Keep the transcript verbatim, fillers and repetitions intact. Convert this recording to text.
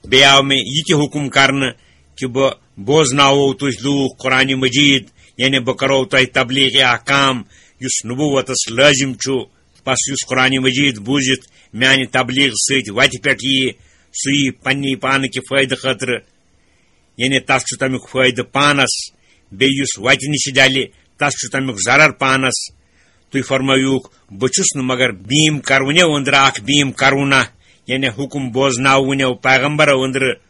بیٚیہِ آو مےٚ یہِ تہِ حُکُم کرنہٕ کہِ بہٕ بوزناوو تُہۍ لوٗکھ قرآنِ مجیٖد، یعنی بہٕ کرو تۄہہِ تبلیغ احکام یُس نبوتس لٲزِم چھُ۔ پس یُس قرآنِ مجیٖد بوٗزِتھ میانہِ تبلیغ سۭتۍ وتہِ پٮ۪ٹھ ییہِ، سُہ ییہِ پننی پانہٕ کہِ فٲیدٕ خٲطرٕ، یعنی تس چھُ تمیُک فٲیدٕ پانس، بیٚیہِ یُس وتہِ نِش ڈلہِ، تس چھُ تمیُک ضرر پانس۔ تُہۍ فرمٲیوُکھ، بہٕ چھُس نہٕ مگر بیٖم کروُنیو أنٛدرٕ اکھ بیٖم کروُنہ، یعنی حُکُم بوزناوُنیو پیغمبرو أنٛدرٕ۔